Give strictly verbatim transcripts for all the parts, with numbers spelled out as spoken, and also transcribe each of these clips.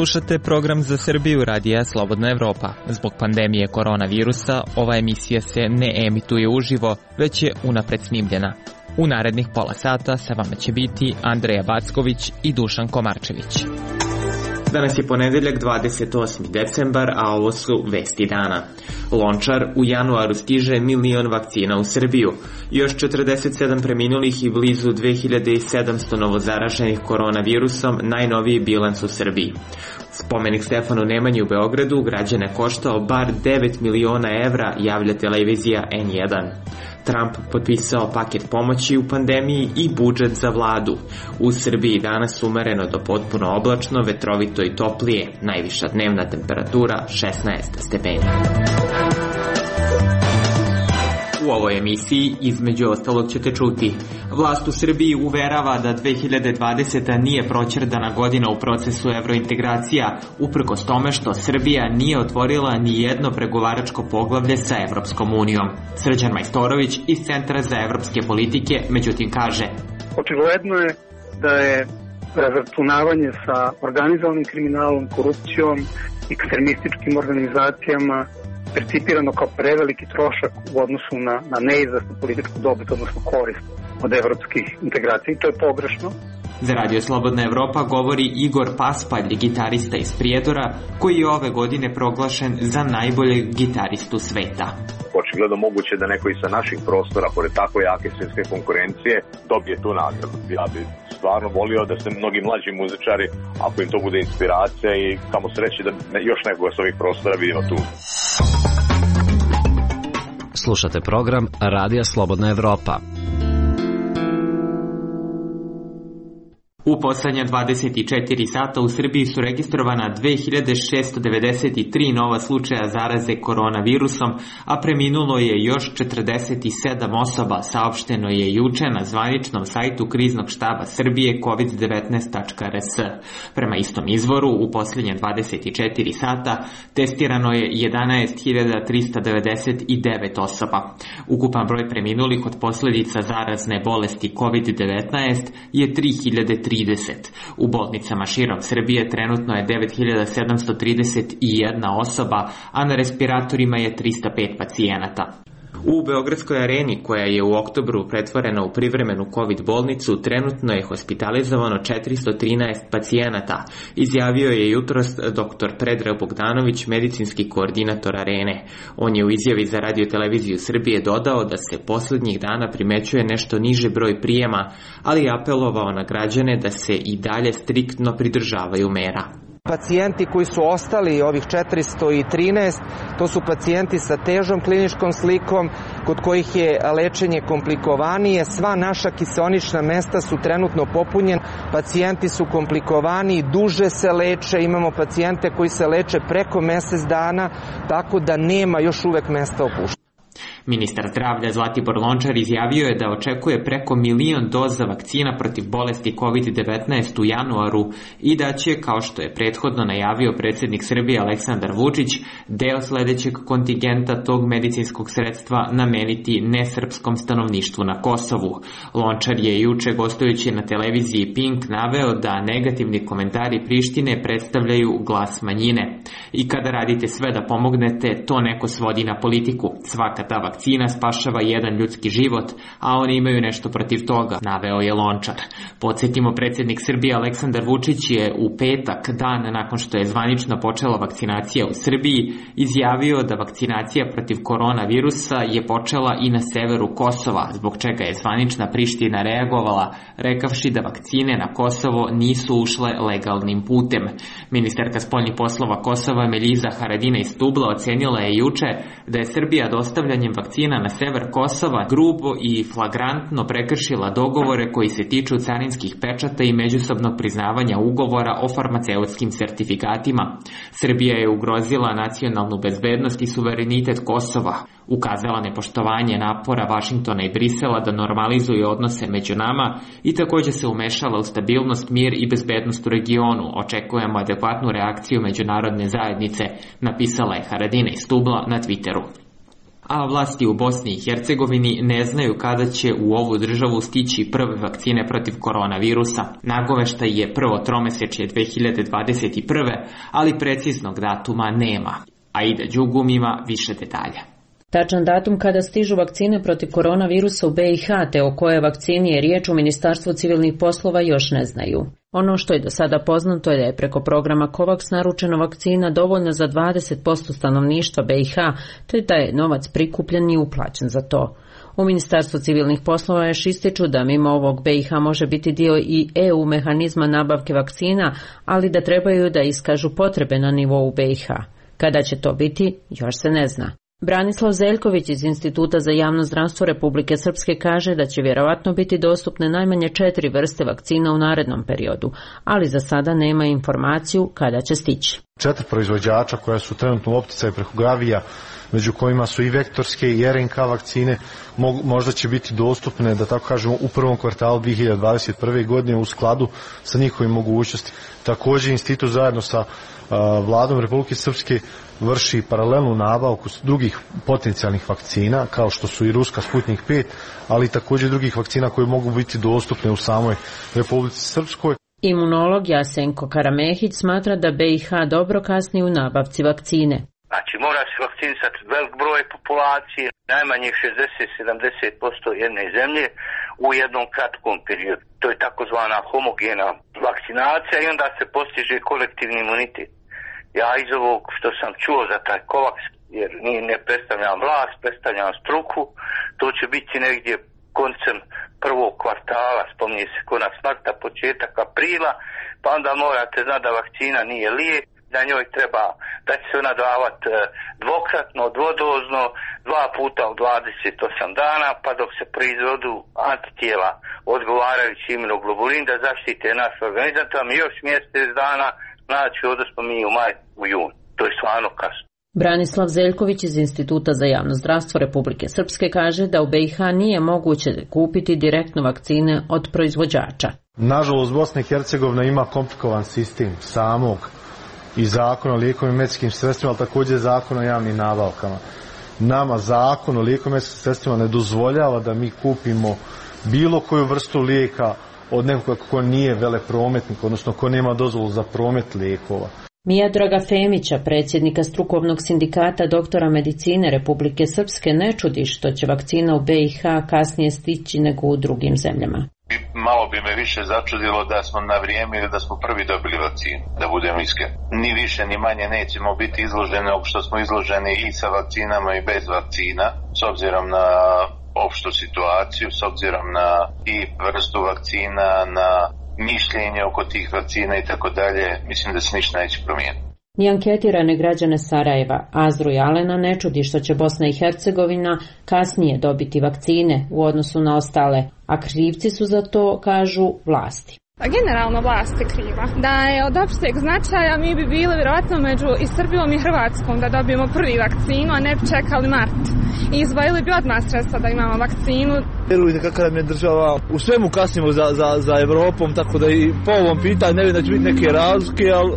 Slušate program za Srbiju radija Slobodna Evropa. Zbog pandemije koronavirusa ova emisija se ne emituje uživo, već je unapred snimljena. U narednih pola sata sa vama će biti Andreja Backović i Dušan Komarčević. Danas je ponedeljak dvadeset osmi decembar, a ovo su vesti dana. Lončar, u januaru stiže milion vakcina u Srbiju. Još četrdeset sedam preminulih i blizu dve hiljade sedamsto novozaraženih koronavirusom, najnoviji bilans u Srbiji. Spomenik Stefanu Nemanji u Beogradu građane koštao bar devet miliona evra, javlja televizija en jedan. Trump potpisao paket pomoći u pandemiji i budžet za vladu. U Srbiji danas umereno do potpuno oblačno, vetrovito i toplije. Najviša dnevna temperatura šesnaest stepeni. U ovoj emisiji između ostalog ćete čuti: vlast u Srbiji uverava da dve hiljade dvadeseta nije proćerdana godina u procesu evrointegracija, uprkos tome što Srbija nije otvorila ni jedno pregovaračko poglavlje sa Evropskom unijom. Srđan Majstorović iz Centra za evropske politike međutim kaže: očigledno je da je razračunavanje sa organizovanim kriminalom, korupcijom, ekstremističkim organizacijama percipirano kao preveliki trošak u odnosu na, na neizvesnu političku dobit, odnosno korist od evropskih integracija, i to je pogrešno. Za Radio Slobodna Evropa govori Igor Paspalj, gitarista iz Prijedora, koji je ove godine proglašen za najboljeg gitaristu sveta. Očigledno moguće da neko i sa naših prostora, pored tako jake svjetske konkurencije, dobije tu nagradu. Ja bih stvarno volio da se mnogi mlađi muzičari, ako im to bude inspiracija, i kamo sreći da još nekoga s ovih prostora vidimo tu. Slušate program Radija Slobodna Evropa. U poslednja dvadeset četiri sata u Srbiji su registrovana dve hiljade šesto devedeset tri nova slučaja zaraze koronavirusom, a preminulo je još četrdeset sedam osoba, saopšteno je juče na zvaničnom sajtu Kriznog štaba Srbije kovid devetnaest tačka er es. Prema istom izvoru, u poslednje dvadeset četiri sata testirano je jedanaest hiljada trista devedeset devet osoba. Ukupan broj preminulih od posledica zarazne bolesti kovid devetnaest je tri hiljade trideset. U bolnicama širom Srbije trenutno je devet hiljada sedamsto trideset jedna osoba, a na respiratorima je trista pet pacijenata. U Beogradskoj areni, koja je u oktobru pretvorena u privremenu COVID bolnicu, trenutno je hospitalizovano četiristo trinaest pacijenata, izjavio je jutros dr. Predrag Bogdanović, medicinski koordinator arene. On je u izjavi za Radio Televiziju Srbije dodao da se poslednjih dana primećuje nešto niži broj prijema, ali apelovao na građane da se i dalje striktno pridržavaju mera. Pacijenti koji su ostali, ovih četiristo trinaest, to su pacijenti sa težom kliničkom slikom, kod kojih je lečenje komplikovanije. Sva naša kiseonična mesta su trenutno popunjena, pacijenti su komplikovani, duže se leče, imamo pacijente koji se leče preko mesec dana, tako da nema još uvek mesta opuštanja. Ministar zdravlja Zlatibor Lončar izjavio je da očekuje preko milion doza vakcina protiv bolesti kovid devetnaest u januaru i da će, kao što je prethodno najavio predsjednik Srbije Aleksandar Vučić, deo sledećeg kontingenta tog medicinskog sredstva nameniti nesrpskom stanovništvu na Kosovu. Lončar je juče, gostujući na televiziji Pink, naveo da negativni komentari Prištine predstavljaju glas manjine. I kada radite sve da pomognete, to neko svodi na politiku. Svaka ta vakcina spašava jedan ljudski život, a oni imaju nešto protiv toga, naveo je Lončar. Podsjetimo, predsjednik Srbije Aleksandar Vučić je u petak, dan nakon što je zvanično počela vakcinacija u Srbiji, izjavio da vakcinacija protiv koronavirusa je počela i na severu Kosova, zbog čega je zvanična Priština reagovala, rekavši da vakcine na Kosovo nisu ušle legalnim putem. Ministarka spoljnih poslova Kosova Meljiza Haradinaj Stubla ocenila je juče da je Srbija dostavljanjem vakcina na sever Kosova grubo i flagrantno prekršila dogovore koji se tiču carinskih pečata i međusobnog priznavanja ugovora o farmaceutskim sertifikatima. Srbija je ugrozila nacionalnu bezbednost i suverenitet Kosova, ukazala nepoštovanje napora Vašingtona i Brisela da normalizuju odnose među nama i također se umešala u stabilnost, mir i bezbednost u regionu. Očekujemo adekvatnu reakciju međunarodne zajednice, napisala je Haradinaj Stubla na Twitteru. a vlasti u Bosni i Hercegovini ne znaju kada će u ovu državu stići prve vakcine protiv koronavirusa. Nagoveštaj je prvo tromesečje dve hiljade dvadeset prve, ali preciznog datuma nema. Aida Đugum ima više detalja. Tačan datum kada stižu vakcine protiv koronavirusa u B i H te o kojoj vakcini je riječ u Ministarstvu civilnih poslova još ne znaju. Ono što je do sada poznato je da je preko programa COVAX naručena vakcina dovoljna za dvadeset posto stanovništva B i H, te da je novac prikupljen i uplaćen za to. U Ministarstvu civilnih poslova još ističu da mimo ovog B i H može biti dio i E U mehanizma nabavke vakcina, ali da trebaju da iskažu potrebe na nivou B i H. Kada će to biti, još se ne zna. Branislav Zeljković iz Instituta za javno zdravstvo Republike Srpske kaže da će vjerovatno biti dostupne najmanje četiri vrste vakcina u narednom periodu, ali za sada nema informaciju kada će stići. Četiri proizvođača koja su trenutno u opticaju preko Gavija, među kojima su i vektorske i R N K vakcine, možda će biti dostupne, da tako kažemo, u prvom kvartalu dve hiljade dvadeset prve. godine u skladu sa njihovim mogućnosti. Također institut zajedno sa Vladom Republike Srpske vrši paralelnu nabavku drugih potencijalnih vakcina, kao što su i ruska Sputnik pet, ali također drugih vakcina koje mogu biti dostupne u samoj Republici Srpskoj. Imunolog Jasenko Karamehić smatra da B i H dobro kasni u nabavci vakcine. Znači mora se vakcinisati velik broj populacije, najmanje šezdeset do sedamdeset posto jedne zemlje u jednom kratkom periodu. To je takozvana homogena vakcinacija i onda se postiže kolektivni imunitet. Ja iz ovog što sam čuo za taj COVAX, jer ne predstavljam vlast, predstavljam struku, to će biti negdje koncem prvog kvartala, spominje se konac marta, početak aprila, pa onda morate znati da vakcina nije lijek, da njoj treba, da će se ona davati dvokratno, dvodozno, dva puta u dvadeset osam dana, pa dok se proizvodu antitijela odgovarajući imunoglobulin da zaštite naš organizam, tam još mjesec dana, znači ovdje smo mi u maj, u jun. To je stvarno kasno. Branislav Zeljković iz Instituta za javno zdravstvo Republike Srpske kaže da u B i H nije moguće kupiti direktno vakcine od proizvođača. Nažalost, Bosna i Hercegovina ima komplikovan sistem samog i zakon o lijekovima i medicinskim sredstvima, ali također zakon o javnim nabavkama. Nama zakon o lijekovima i medicinskim sredstvima ne dozvoljava da mi kupimo bilo koju vrstu lijeka od nekoga ko nije veleprometnik, odnosno ko nema dozvolu za promet lijekova. Mijadraga Femića, predsjednika strukovnog sindikata doktora medicine Republike Srpske, ne čudi što će vakcina u B i H kasnije stići nego u drugim zemljama. Malo bi me više začudilo da smo na vrijeme ili da smo prvi dobili vakcinu, da budemo iskreni. Ni više ni manje nećemo biti izloženi nego što smo izloženi i sa vakcinama i bez vakcina, s obzirom na opštu situaciju, s obzirom na i vrstu vakcina, na mišljenje oko tih vakcina i tako dalje, mislim da se ništa neće promijeniti. Ni anketirane građane Sarajeva, Azru i Alena, ne čudi što će Bosna i Hercegovina kasnije dobiti vakcine u odnosu na ostale, a krivci su za to, kažu, vlasti. Generalno vlast je kriva. Da je od opšteg značaja mi bi bili vjerojatno među i Srbijom i Hrvatskom da dobijemo prvi vakcinu, a ne bi čekali mart. I izdvojili bi odmah sredstva da imamo vakcinu. Vjerujte kakva nam je država, u svemu kasnimo za, za, za Evropom, tako da i po ovom pitanju ne vidim da će biti neke razlike, ali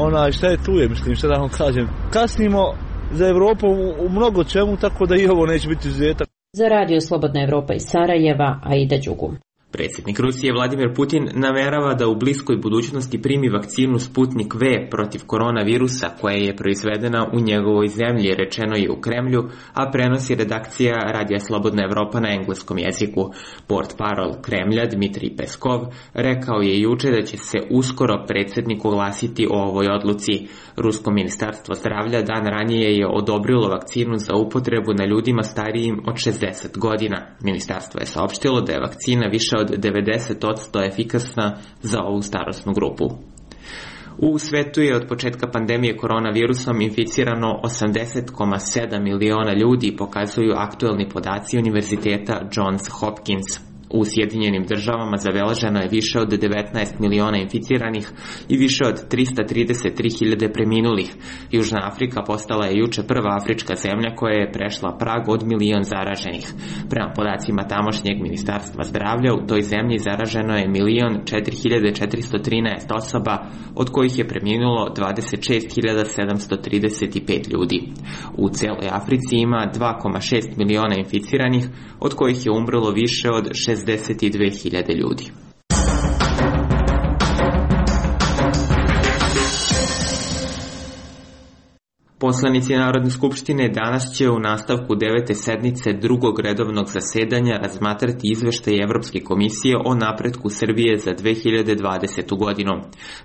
onaj, šta je tu je, mislim, šta da vam kažem. Kasnimo za Evropom u, u mnogo čemu, tako da i ovo neće biti izuzetak. Za Radio Slobodna Evropa iz Sarajeva, Aida Đugum. Predsjednik Rusije Vladimir Putin namerava da u bliskoj budućnosti primi vakcinu Sputnik V protiv koronavirusa koja je proizvedena u njegovoj zemlji, rečeno je u Kremlju, a prenosi redakcija Radija Slobodna Evropa na engleskom jeziku. Portparol Kremlja Dmitrij Peskov rekao je juče da će se uskoro predsjednik oglasiti o ovoj odluci. Rusko ministarstvo zdravlja dan ranije je odobrilo vakcinu za upotrebu na ljudima starijim od šezdeset godina. Ministarstvo je saopštilo da je vakcina više od devedeset posto efikasna za ovu starosnu grupu. U svetu je od početka pandemije koronavirusom inficirano osamdeset zarez sedam miliona ljudi, pokazuju aktuelni podaci Univerziteta Johns Hopkins. U Sjedinjenim državama zabeleženo je više od devetnaest miliona inficiranih i više od trista trideset tri hiljade preminulih. Južna Afrika postala je juče prva afrička zemlja koja je prešla prag od milion zaraženih. Prema podacima tamošnjeg ministarstva zdravlja, u toj zemlji zaraženo je milion četiri hiljade četiristo trinaest osoba, od kojih je preminulo dvadeset šest hiljada sedamsto trideset pet ljudi. U celoj Africi ima dva zarez šest miliona inficiranih, od kojih je umrlo više od šezdeset dve hiljade ljudi. Poslanici Narodne skupštine danas će u nastavku devete sednice drugog redovnog zasedanja razmatrati izveštaj Evropske komisije o napretku Srbije za dve hiljade dvadesetu godinu.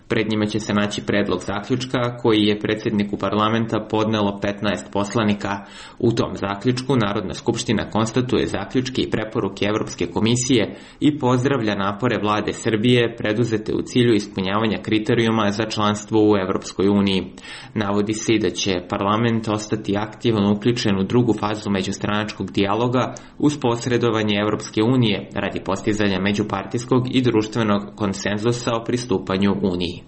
Pred njima će se naći predlog zaključka koji je predsjedniku parlamenta podnelo petnaest poslanika. U tom zaključku Narodna skupština konstatuje zaključke i preporuke Evropske komisije i pozdravlja napore vlade Srbije preduzete u cilju ispunjavanja kriterijuma za članstvo u Evropskoj uniji. Navodi se i da će parlament ostati aktivno uključen u drugu fazu međustranačkog dijaloga uz posredovanje Evropske unije radi postizanja međupartijskog i društvenog konsenzusa o pristupanju Uniji.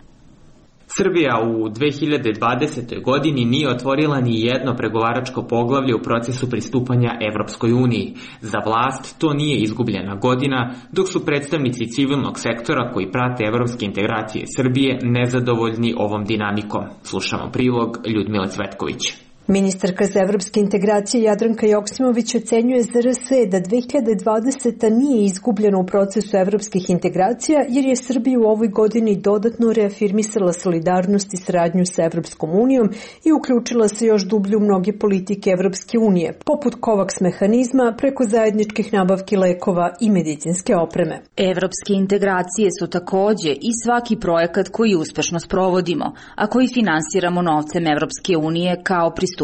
Srbija u dve hiljade dvadesetoj godini nije otvorila ni jedno pregovaračko poglavlje u procesu pristupanja Evropskoj uniji. Za vlast to nije izgubljena godina, dok su predstavnici civilnog sektora koji prate evropske integracije Srbije nezadovoljni ovom dinamikom. Slušamo prilog Ljudmile Cvetković. Ministarka za evropske integracije Jadranka Joksimović ocenjuje Z R S da dve hiljade dvadeseta nije izgubljena u procesu evropskih integracija jer je Srbija u ovoj godini dodatno reafirmisala solidarnost i saradnju sa Evropskom unijom i uključila se još dublje u mnoge politike Evropske unije, poput COVAX mehanizma preko zajedničkih nabavki lekova i medicinske opreme. Evropske integracije su takođe i svaki projekat koji uspešno sprovodimo, a koji finansiramo novcem Evropske unije kao pristupajuća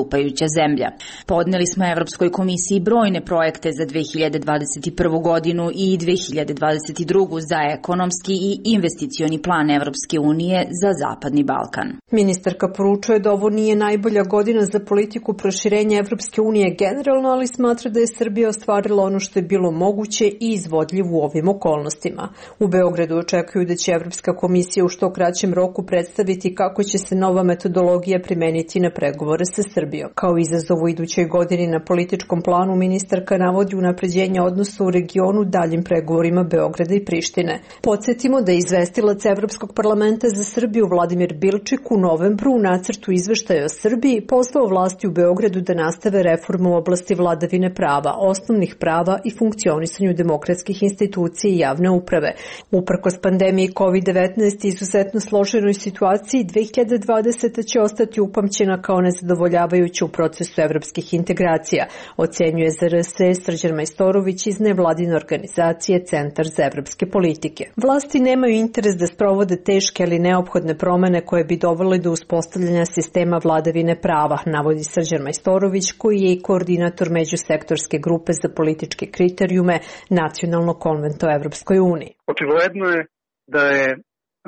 zemlja. Podneli smo Evropskoj komisiji brojne projekte za dve hiljade dvadeset prvu godinu i dve hiljade dvadeset drugu za ekonomski i investicioni plan Evropske unije za Zapadni Balkan. Ministarka poručuje da ovo nije najbolja godina za politiku proširenja Evropske unije generalno, ali smatra da je Srbija ostvarila ono što je bilo moguće i izvodljivo u ovim okolnostima. U Beogradu očekuju da će Evropska komisija u što kraćem roku predstaviti kako će se nova metodologija primeniti na pregovore sa Srbijom. Kao izazov u idućoj godini na političkom planu ministarka navodi unapređenje odnosa u regionu daljim pregovorima Beograda i Prištine. Podsjetimo da je izvestilac Evropskog parlamenta za Srbiju Vladimir Bilčik u novembru u nacrtu izveštaja o Srbiji pozvao vlasti u Beogradu da nastave reformu u oblasti vladavine prava, osnovnih prava i funkcionisanju demokratskih institucija i javne uprave. Uprkos pandemiji kovid devetnaest i izuzetno složenoj situaciji, dve hiljade dvadeseta će ostati upamćena kao nezadovoljavajuća u procesu evropskih integracija, ocenjuje Z R S Srđan Majstorović iz nevladine organizacije Centar za evropske politike. Vlasti nemaju interes da sprovode teške ali neophodne promene koje bi dovele do uspostavljanja sistema vladavine prava, navodi Srđan Majstorović, koji je i koordinator međusektorske grupe za političke kriterijume Nacionalnog konventa o Evropskoj uniji. Očigledno je da je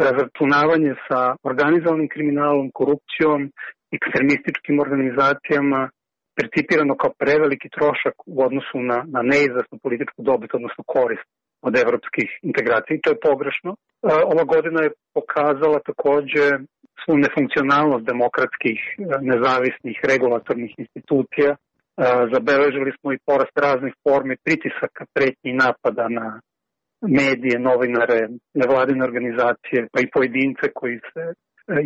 razračunavanje sa organizovanim kriminalom, korupcijom, ekstremističkim organizacijama percipirano kao preveliki trošak u odnosu na, na neizvesnu političku dobit, odnosno korist od evropskih integracija. I to je pogrešno. Ova godina je pokazala takođe svu nefunkcionalnost demokratskih, nezavisnih, regulatornih institucija. Zabeležili smo i porast raznih formi pritisaka, pretnji i napada na medije, novinare, nevladine organizacije, pa i pojedince koji se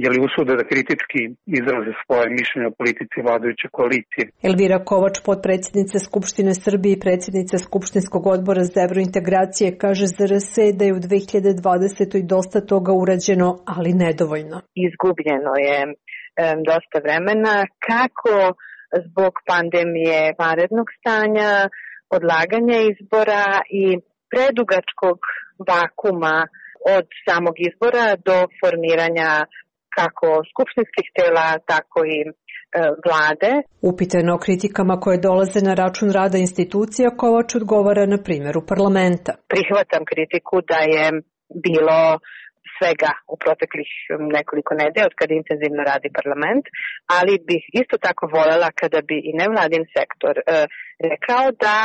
je li usude da kritički izraze svoje mišljenje o politici vladajuće koalicije. Elvira Kovač, potpredsjednica Skupštine Srbije i predsjednica Skupštinskog odbora za evrointegracije, kaže Z R S da je u dve hiljade dvadesetoj dosta toga urađeno, ali nedovoljno. Izgubljeno je um, dosta vremena, kako zbog pandemije vanrednog stanja, odlaganja izbora i predugačkog vakuma od samog izbora do formiranja kako skupštinskih tela, tako i e, vlade. Upitano o kritikama koje dolaze na račun rada institucija, Kovač odgovara na primjeru parlamenta. Prihvatam kritiku da je bilo svega u proteklih nekoliko nedelja od kada intenzivno radi parlament, ali bih isto tako voljela kada bi i nevladin sektor e, rekao da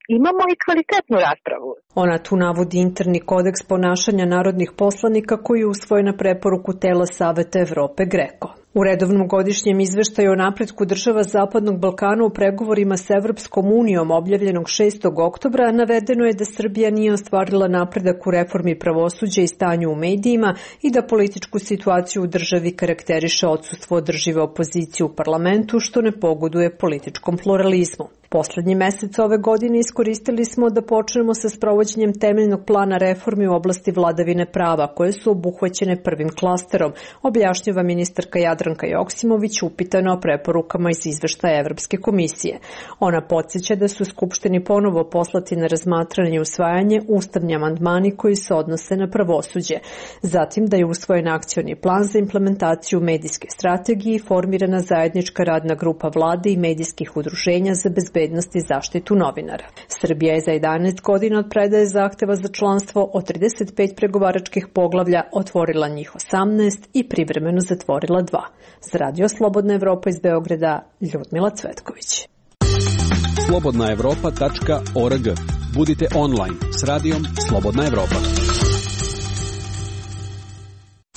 imamo i kvalitetnu raspravu. Ona tu navodi interni kodeks ponašanja narodnih poslanika koji je usvojen na preporuku tela Saveta Evrope GRECO. U redovnom godišnjem izveštaju o napretku država Zapadnog Balkana u pregovorima s Evropskom unijom objavljenog šestog oktobra navedeno je da Srbija nije ostvarila napredak u reformi pravosuđa i stanju u medijima i da političku situaciju u državi karakteriše odsustvo održive opozicije u parlamentu, što ne pogoduje političkom pluralizmu. Poslednji mesec ove godine iskoristili smo da počnemo sa sprovođenjem temeljnog plana reformi u oblasti vladavine prava, koje su obuhvaćene prvim klasterom, objašnjava ministarka Jadranka Joksimović upitana o preporukama iz izveštaja Evropske komisije. Ona podsjeća da su Skupštini ponovo poslati na razmatranje i usvajanje ustavni amandmani koji se odnose na pravosuđe. Zatim da je usvojen akcioni plan za implementaciju medijske strategije i formirana zajednička radna grupa vlade i medijskih udruženja za bezbednost i zaštitu novinara. Srbija je za jedanaest godina od predaje zahteva za članstvo od trideset pet pregovaračkih poglavlja otvorila njih osamnaest i privremeno zatvorila dva. Za Radio Slobodna Evropa iz Beograda, Ljudmila Cvetković. slobodna evropa tačka org. Budite online s radijom Slobodna Evropa.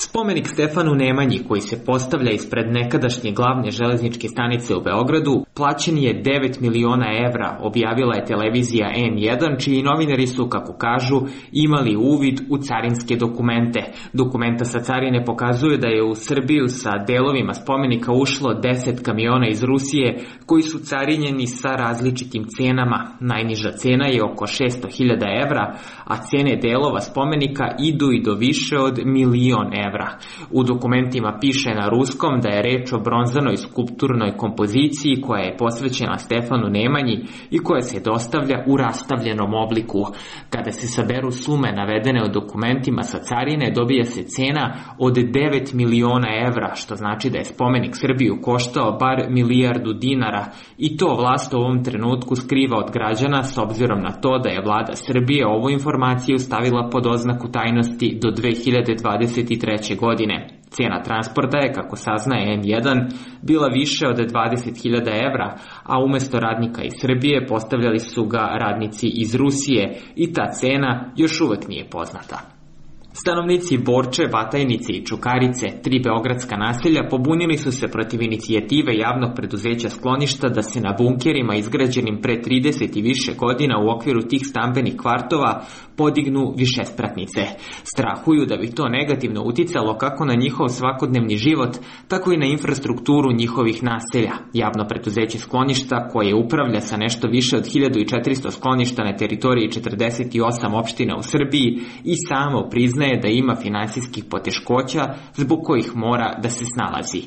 Spomenik Stefanu Nemanji, koji se postavlja ispred nekadašnje glavne železničke stanice u Beogradu, plaćen je devet miliona evra, objavila je televizija N jedan, čiji novinari su, kako kažu, imali uvid u carinske dokumente. Dokumenta sa carine pokazuju da je u Srbiju sa delovima spomenika ušlo deset kamiona iz Rusije, koji su carinjeni sa različitim cenama. Najniža cena je oko šesto hiljada evra, a cene delova spomenika idu i do više od milion evra. U dokumentima piše na ruskom da je reč o bronzanoj skulpturnoj kompoziciji koja je posvećena Stefanu Nemanji i koja se dostavlja u rastavljenom obliku. Kada se saberu sume navedene u dokumentima sa carine, dobija se cena od devet miliona evra, što znači da je spomenik Srbiju koštao bar milijardu dinara, i to vlast u ovom trenutku skriva od građana s obzirom na to da je vlada Srbije ovu informaciju stavila pod oznaku tajnosti do dve hiljade dvadeset treće. godine. Cijena transporta je, kako saznaje N jedan, bila više od dvadeset hiljada evra, a umesto radnika iz Srbije postavljali su ga radnici iz Rusije i ta cena još uvek nije poznata. Stanovnici Borče, Batajnice i Čukarice, tri beogradska naselja, pobunili su se protiv inicijative javnog preduzeća Skloništa da se na bunkerima izgrađenim pre trideset i više godina u okviru tih stambenih kvartova podignu višespratnice. Strahuju da bi to negativno uticalo kako na njihov svakodnevni život, tako i na infrastrukturu njihovih naselja. Javno preduzeće Skloništa, koje upravlja sa nešto više od hiljadu četiristo skloništa na teritoriji četrdeset osam opština u Srbiji, i samo priznaje da ima finansijskih poteškoća zbog kojih mora da se snalazi.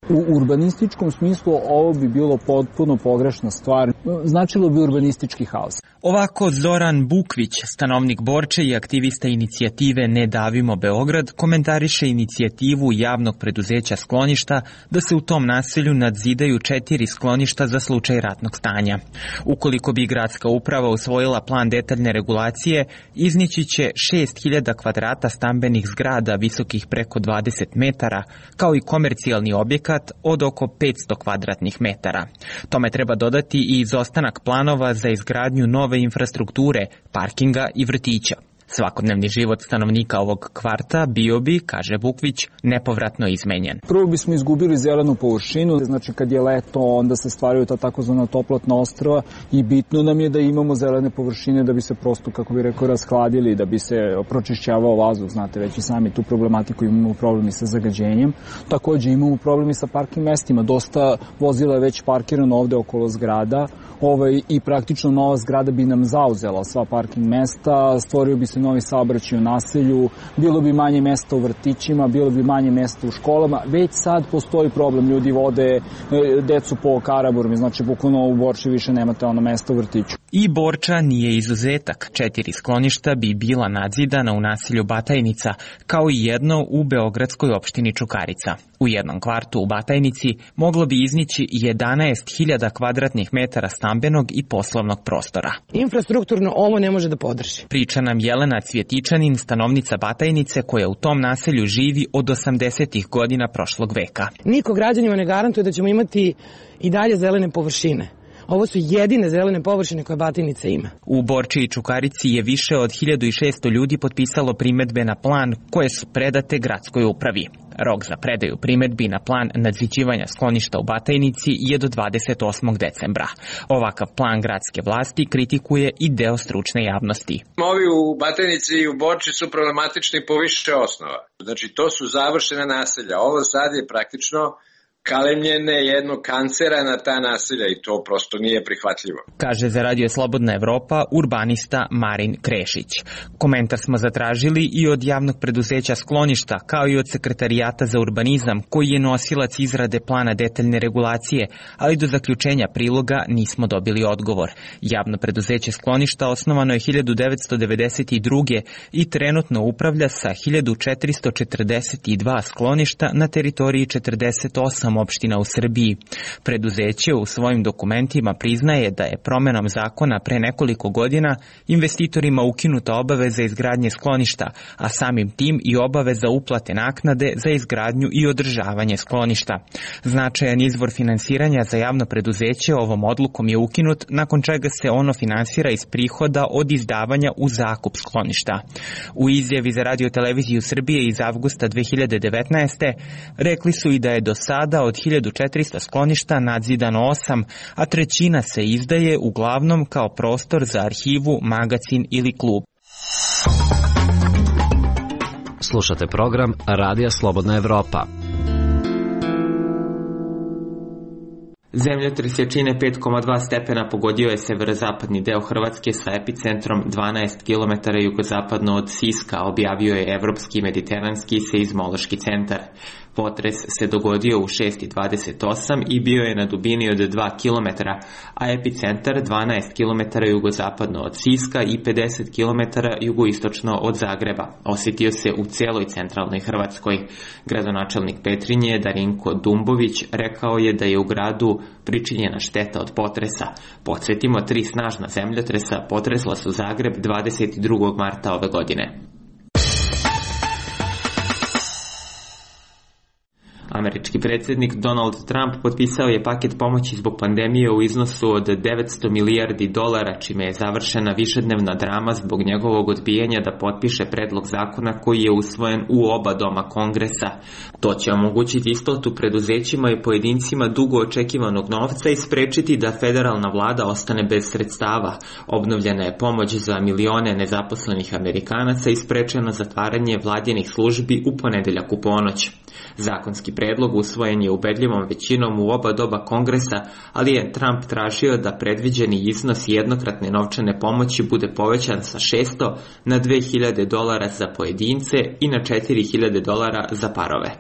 U urbanističkom smislu ovo bi bilo potpuno pogrešna stvar. Značilo bi urbanistički haos. Ovako Zoran Bukvić, stanovnik Borče i aktivista inicijative Ne davimo Beograd, komentariše inicijativu javnog preduzeća Skloništa da se u tom naselju nadzidaju četiri skloništa za slučaj ratnog stanja. Ukoliko bi gradska uprava usvojila plan detaljne regulacije, iznići će šest hiljada kvadrata stambenih zgrada visokih preko dvadeset metara, kao i komercijalni objekat od oko petsto kvadratnih metara. Tome treba dodati i izostanak planova za izgradnju nove infrastrukture, parkinga i vrtića. Svakodnevni život stanovnika ovog kvarta bio bi, kaže Bukvić, nepovratno izmenjen. Prvo bismo izgubili zelenu površinu, znači kad je leto onda se stvaraju ta takozvana toplotna ostrva i bitno nam je da imamo zelene površine da bi se prosto, kako bi rekao, rashladili, da bi se pročišćavao vazduh, znate već i sami tu problematiku, imamo problemi sa zagađenjem. Takođe imamo problemi sa parking mestima, dosta vozila je već parkirano ovde okolo zgrada, ovaj, i praktično nova zgrada bi nam zauzela sva parking mesta, stvorio bi se novi saobraćaj u naselju, bilo bi manje mesta u vrtićima, bilo bi manje mesta u školama. Već sad postoji problem, ljudi vode decu po Karaburmi, znači bukvalno u Borči više nemate ono mesta u vrtiću. I Borča nije izuzetak. Četiri skloništa bi bila nadzidana u naselju Batajnica, kao i jedno u beogradskoj opštini Čukarica. U jednom kvartu u Batajnici moglo bi iznići jedanaest hiljada kvadratnih metara stambenog i poslovnog prostora. Infrastrukturno ovo ne može da podrži. Priča nam Jelena Cvjetičanin, stanovnica Batajnice, koja u tom naselju živi od osamdesetih godina prošlog veka. Niko građanima ne garantuje da ćemo imati i dalje zelene površine. Ovo su jedine zelene površine koje Batajnica ima. U Borči i Čukarici je više od hiljadu šesto ljudi potpisalo primedbe na plan koje su predate gradskoj upravi. Rok za predaju primedbi na plan nadziđivanja skloništa u Batajnici je do dvadeset osmog decembra. Ovakav plan gradske vlasti kritikuje i deo stručne javnosti. Ovi u Batajnici i u Borči su problematični po više osnova. Znači, to su završena naselja. Ovo sad je praktično kalemljene jednog kancera na ta naselja i to prosto nije prihvatljivo. Kaže za Radio Slobodna Evropa urbanista Marin Krešić. Komentar smo zatražili i od javnog preduzeća skloništa, kao i od Sekretarijata za urbanizam, koji je nosilac izrade plana detaljne regulacije, ali do zaključenja priloga nismo dobili odgovor. Javno preduzeće skloništa osnovano je hiljadu devetsto devedeset druge. i trenutno upravlja sa hiljadu četiristo četrdeset dva skloništa na teritoriji četrdeset osam opština u Srbiji. Preduzeće u svojim dokumentima priznaje da je promenom zakona pre nekoliko godina investitorima ukinuta obaveza izgradnje skloništa, a samim tim i obaveza uplate naknade za izgradnju i održavanje skloništa. Značajan izvor finansiranja za javno preduzeće ovom odlukom je ukinut, nakon čega se ono finansira iz prihoda od izdavanja u zakup skloništa. U izjavi za Radio televiziju Srbije iz avgusta dve hiljade devetnaeste. rekli su i da je do sada od hiljadu četiristo skloništa nadzidano osam, a trećina se izdaje uglavnom kao prostor za arhivu, magacin ili klub. Slušate program Radija Slobodna Evropa. Zemljotres jačine pet zarez dva stepena pogodio je severozapadni deo Hrvatske sa epicentrom dvanaest kilometara jugozapadno od Siska, objavio je Evropski mediteranski seizmološki centar. Potres se dogodio u šest i dvadeset osam i bio je na dubini od dva kilometra, a epicentar dvanaest kilometara jugozapadno od Siska i pedeset kilometara jugoistočno od Zagreba. Osjetio se u celoj centralnoj Hrvatskoj. Gradonačelnik Petrinje Darinko Dumbović rekao je da je u gradu pričinjena šteta od potresa. Podsjetimo, tri snažna zemljotresa potresla su Zagreb dvadeset drugog marta ove godine. Američki predsjednik Donald Trump potpisao je paket pomoći zbog pandemije u iznosu od devetsto milijardi dolara, čime je završena višednevna drama zbog njegovog odbijanja da potpiše predlog zakona koji je usvojen u oba doma Kongresa. To će omogućiti isplatu preduzećima i pojedincima dugo očekivanog novca i sprečiti da federalna vlada ostane bez sredstava. Obnovljena je pomoć za milione nezaposlenih Amerikanaca i sprečeno zatvaranje vladinih službi u ponedeljak u ponoć. Zakonski predlog usvojen je ubedljivom većinom u oba doba Kongresa, ali je Trump tražio da predviđeni iznos jednokratne novčane pomoći bude povećan sa šesto na dve hiljade dolara za pojedince i na četiri hiljade dolara za parove.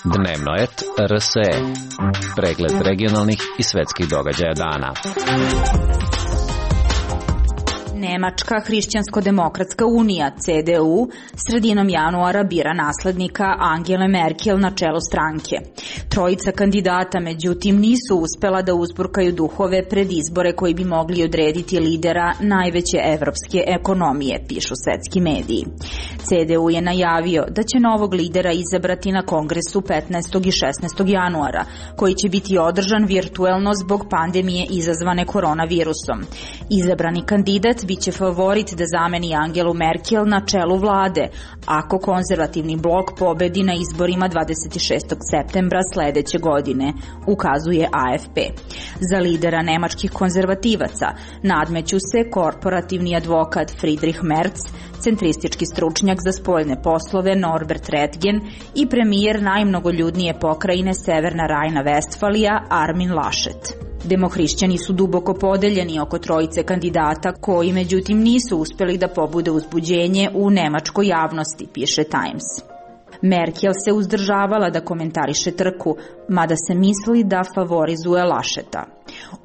Dnevnoet R S E. Pregled regionalnih i svetskih događaja dana. Nemačka hrišćansko-demokratska unija, C D U, sredinom januara bira naslednika Angele Merkel na čelo stranke. Trojica kandidata, međutim, nisu uspela da uzburkaju duhove pred izbore koji bi mogli odrediti lidera najveće evropske ekonomije, pišu svetski mediji. C D U je najavio da će novog lidera izabrati na kongresu petnaestog i šesnaestog januara, koji će biti održan virtuelno zbog pandemije izazvane koronavirusom. Izabrani kandidat biće favorit da zameni Angelu Merkel na čelu vlade, ako konzervativni blok pobedi na izborima dvadeset šestog septembra sledeće godine, ukazuje A F P. Za lidera nemačkih konzervativaca nadmeću se korporativni advokat Friedrich Merz, centristički stručnjak za spoljne poslove Norbert Röttgen i premijer najmnogoljudnije pokrajine Severna Rajna-Vestfalija Armin Laschet. Demohrišćani su duboko podeljeni oko trojice kandidata koji međutim nisu uspeli da pobude uzbuđenje u nemačkoj javnosti, piše Times. Merkel se uzdržavala da komentariše trku, mada se misli da favorizuje Lascheta.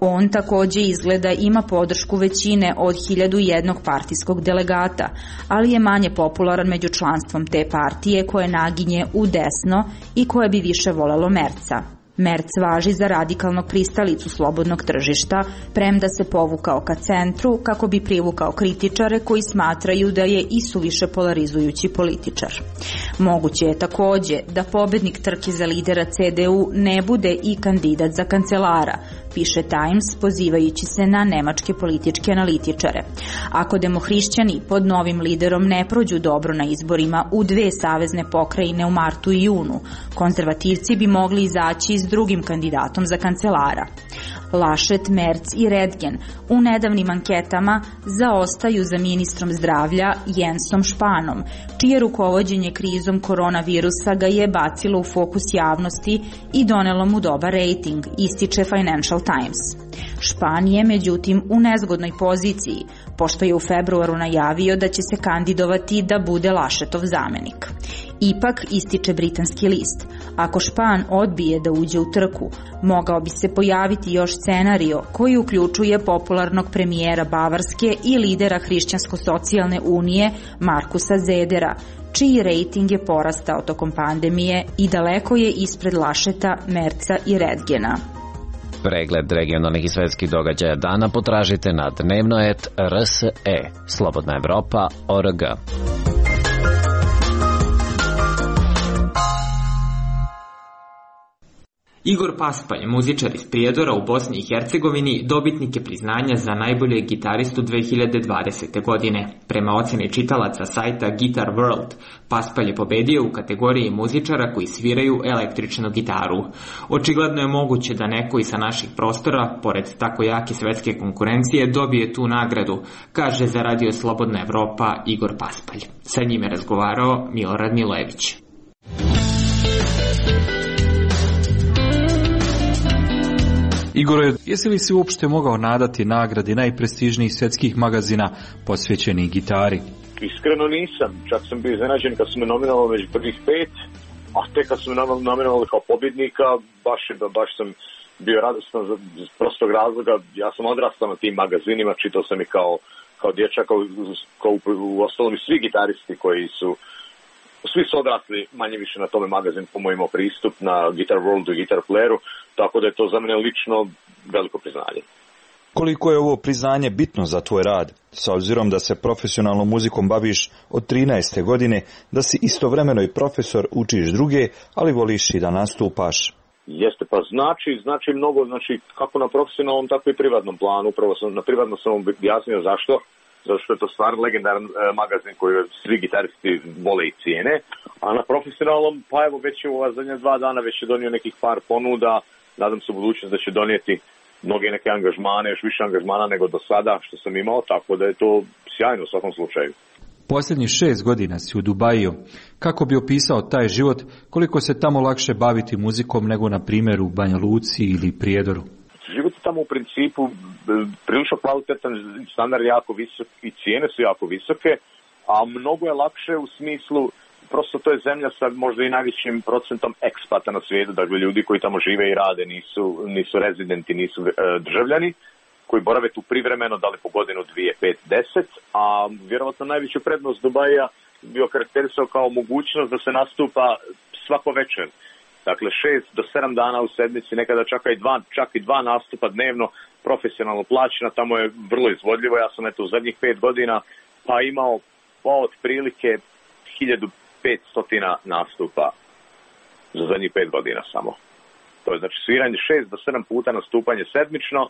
On takođe izgleda ima podršku većine od hiljadu jednog partijskog delegata, ali je manje popularan među članstvom te partije koje naginje u desno i koje bi više volelo Merca. Merc važi za radikalnog pristalicu slobodnog tržišta, premda se povukao ka centru kako bi privukao kritičare koji smatraju da je isuviše polarizujući političar. Moguće je takođe da pobednik trke za lidera C D U ne bude i kandidat za kancelara, piše Times pozivajući se na nemačke političke analitičare. Ako demohrišćani pod novim liderom ne prođu dobro na izborima u dve savezne pokrajine u martu i junu, konzervativci bi mogli izaći s drugim kandidatom za kancelara. Laschet, Merz i Redgen u nedavnim anketama zaostaju za ministrom zdravlja Jensom Spanom, čije rukovođenje krizom koronavirusa ga je bacilo u fokus javnosti i donelo mu dobar rejting, ističe Financial Times. Špan je, međutim, u nezgodnoj poziciji, pošto je u februaru najavio da će se kandidovati da bude Laschetov zamenik. Ipak, ističe britanski list, ako Špan odbije da uđe u trku, mogao bi se pojaviti još scenario koji uključuje popularnog premijera Bavarske i lidera Hrišćansko-socijalne unije Markusa Zedera, čiji rejting je porastao tokom pandemije i daleko je ispred Lascheta, Merca i Redgena. Pregled regionalnih i svetskih događaja dana potražite na dnevnoet R S E, Slobodna Evropa, O R G. Igor Paspalj, muzičar iz Prijedora u Bosni i Hercegovini, dobitnik je priznanja za najboljeg gitaristu dve hiljade dvadesete. godine. Prema oceni čitalaca sajta Guitar World, Paspalj je pobedio u kategoriji muzičara koji sviraju električnu gitaru. Očigledno je moguće da neko i sa naših prostora, pored tako jake svetske konkurencije, dobije tu nagradu, kaže za Radio Slobodna Evropa Igor Paspalj. Sa njim je razgovarao Milorad Milojević. Igore, jesi li si uopšte mogao nadati nagradi najprestižnijih svetskih magazina posvećenih gitari? Iskreno nisam. Čak sam bio iznenađen kad su me nominovali među prvih pet, a tek kad su me nominovali kao pobjednika, baš, baš sam bio radostan za prostog razloga. Ja sam odrastao na tim magazinima, čitao sam ih kao, kao dječak, kao, kao u ostalom i svi gitaristi koji su Svi su odrasli manje više na tome magazin, po mojim pristup na Guitar Worldu i Guitar Playeru, tako da je to za mene lično veliko priznanje. Koliko je ovo priznanje bitno za tvoj rad, s obzirom da se profesionalnom muzikom baviš od trinaeste godine, da si istovremeno i profesor, učiš druge, ali voliš i da nastupaš? Jeste, pa znači, znači mnogo, znači kako na profesionalnom, tako i privatnom planu. Upravo sam, na privatno sam objasnio zašto. Zato što je to stvarno legendaran e, magazin koji svi gitaristi vole i cijene, a na profesionalnom, pa evo već je u ova zadnja dva dana već je donio nekih par ponuda, nadam se u budućnosti da će donijeti mnoge neke angažmane, još više angažmana nego do sada što sam imao, tako da je to sjajno u svakom slučaju. Posljednjih šest godina si u Dubaju. Kako bi opisao taj život, koliko se tamo lakše baviti muzikom nego na primjer u Banja Luci ili Prijedoru? Život je tamo u principu prilično kvalitetan, standard je jako visok i cijene su jako visoke, a mnogo je lakše u smislu, prosto to je zemlja sa možda i najvećim procentom ekspata na svijetu, dakle ljudi koji tamo žive i rade nisu, nisu rezidenti, nisu e, državljani, koji borave tu privremeno, da li po godinu, dvije, pet, deset, a vjerovatno najveću prednost Dubaja bio karakterisao kao mogućnost da se nastupa svako večer. Dakle, šest do sedam dana u sedmici, nekada čak i dva, čak i dva nastupa dnevno, profesionalno plaćena, tamo je vrlo izvodljivo. Ja sam eto u zadnjih pet godina pa imao pa otprilike hiljadu petsto nastupa za zadnjih pet godina samo. To je znači sviranje šest do sedam puta nastupanje sedmično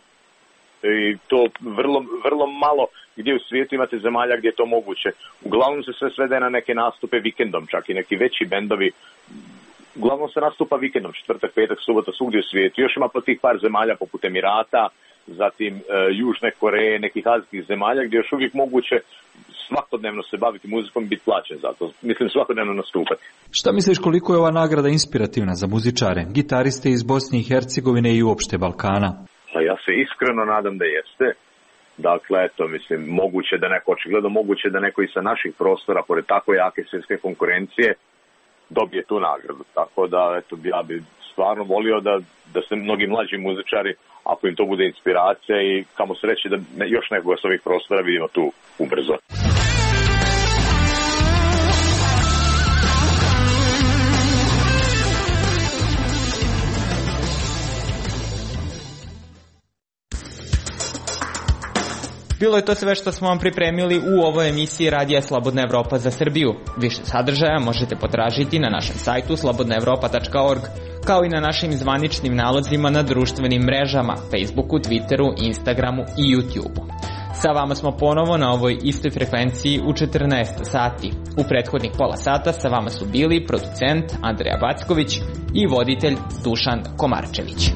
i to vrlo, vrlo malo gdje u svijetu imate zemalja gdje je to moguće. Uglavnom se sve svede na neke nastupe vikendom, čak i neki veći bendovi. Uglavnom se nastupa vikendom, četvrtak, petak, subota, svugdje u svijetu. Još ima po tih par zemalja poput Emirata, zatim e, Južne Koreje, nekih azijskih zemalja gdje još uvijek moguće svakodnevno se baviti muzikom i biti plaćen za to. Mislim svakodnevno nastupati. Šta misliš koliko je ova nagrada inspirativna za muzičare, gitariste iz Bosne i Hercegovine i uopšte Balkana? Pa ja se iskreno nadam da jeste. Dakle, eto, mislim, moguće da neko, očigledno moguće da neko i sa naših prostora, pored tako jake svjetske konkurencije, dobije tu nagradu. Tako da, eto, ja bi stvarno volio da, da se mnogi mlađi muzičari, ako im to bude inspiracija i kamo sreće da još nekoga s ovih prostora vidimo tu ubrzo. Bilo je to sve što smo vam pripremili u ovoj emisiji Radija Slobodna Evropa za Srbiju. Više sadržaja možete potražiti na našem sajtu slobodna evropa tačka org, kao i na našim zvaničnim nalozima na društvenim mrežama, Facebooku, Twitteru, Instagramu i YouTubeu. Sa vama smo ponovo na ovoj istoj frekvenciji u četrnaest sati. U prethodnih pola sata sa vama su bili producent Andreja Backović i voditelj Dušan Komarčević.